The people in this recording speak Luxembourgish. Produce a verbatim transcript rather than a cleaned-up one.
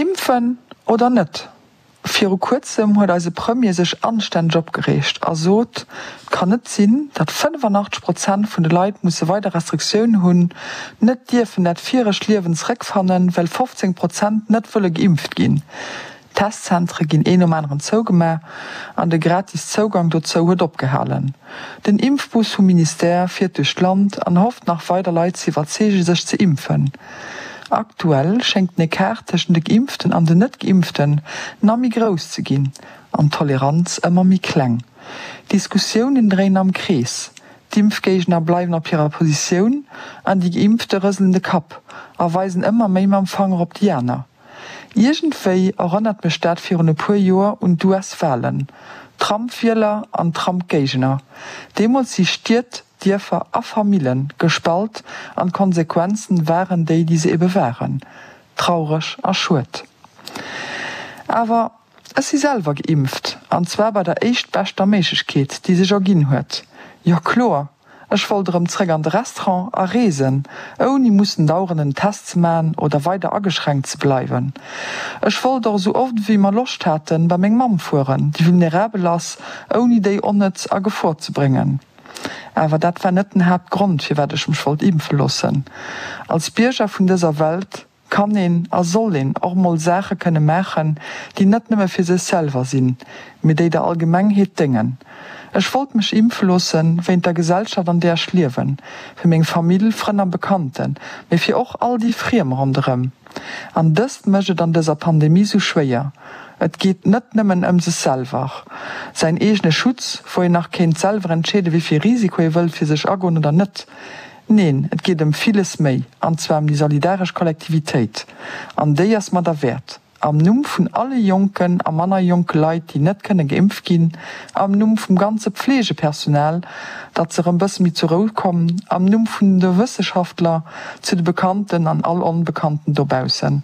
Impfen oder net? Viru kuerzem huet eise Premier sech anstänneg opgereegt a sot, Et kann net sinn, datt fënnefanachteg Prozent vun de Leit musse weider Restriktiounen hunn, net dierfen dat viregt Liewen zeréckfannen, well fofzéng Prozent net wëlle geimpft ginn. D'Testzentere ginn een nom aneren zougemaach an de gratis Zougang dozou huet opgehalen. Den Impfbus vum Ministère fiert duerch d'Land an hofft nach weider Leit ze iwwerzeege sech ze impfen. Aktuell schéngt den Ecart tëschent de Geimpften an den Net-Geimpften na méi grouss ze ginn an d'Toleranz ëmmer méi kleng. D'Diskussiounen dréinen am Krees, d'Impfgéigner bleiwen op hirer Positioun an déi Geimpfte rëselen de Kapp a weisen ëmmer méi mam Fanger op déi aner. Iergendwéi erënnert mech dat virun e puer Joer un d'US-Walen, Trump-Wieler an Trump-Géigner. Deemools si Stied, Dierfer a Famillen gespalt an d'Konsequenzen waren déi, déi se ebe waren. Traureg a schued. Awer ech si selwer geimpft, an zwar bei der éischtbeschter Méiglechkeet, déi sech erginn huet. Jo kloer, ech wollt erëm zréck an de Restaurant a reesen, ouni mussen dauernd en Test ze man oder weider ageschränkt ze bleiwen. Ech wollt och esou oft wéi mer Loscht haten bei meng Mamm fueren, déi vulnerabel ass, ouni déi onnëtz a Gefor ze bréngen. Awer dat war net den Haaptgrond, firwat ech mech wollt impfe loossen. Als Bierger vun dëser Welt kann een a soll een och mol Saache kënne maachen, déi net nëmme fir sech selwer sinn, mee déi der Allgemengheet déngen. Ech wollt mech impfe loossen, wéint der Gesellschaft an där ech liewen, fir meng Famill, Frënn a Bekannten, mee fir och all déi Friem ronderëm. An dëst mécht et an dëser Pandemie sou schwéier. Et geet net nëmmen ëm sech selwer, säin eegene Schutz, wou een nach kéint selwer entscheeden, wéi vill Risiko ee wëllt fir sech agoen oder net. Neen, et geet ëm villes méi, an zwar ëm déi solidaresch Kollektivitéit. An déi ass mer derwäert. Am Numm vun alle jonken a manner jonke Leit, déi net kënne geimpft ginn, am Numm vum ganze Pflegepersonal, datt se erëm bësse méi zur Rou kommen, am Numm vun de Wësseschaftler, zu de Bekannten an all Onbekannten dobaussen.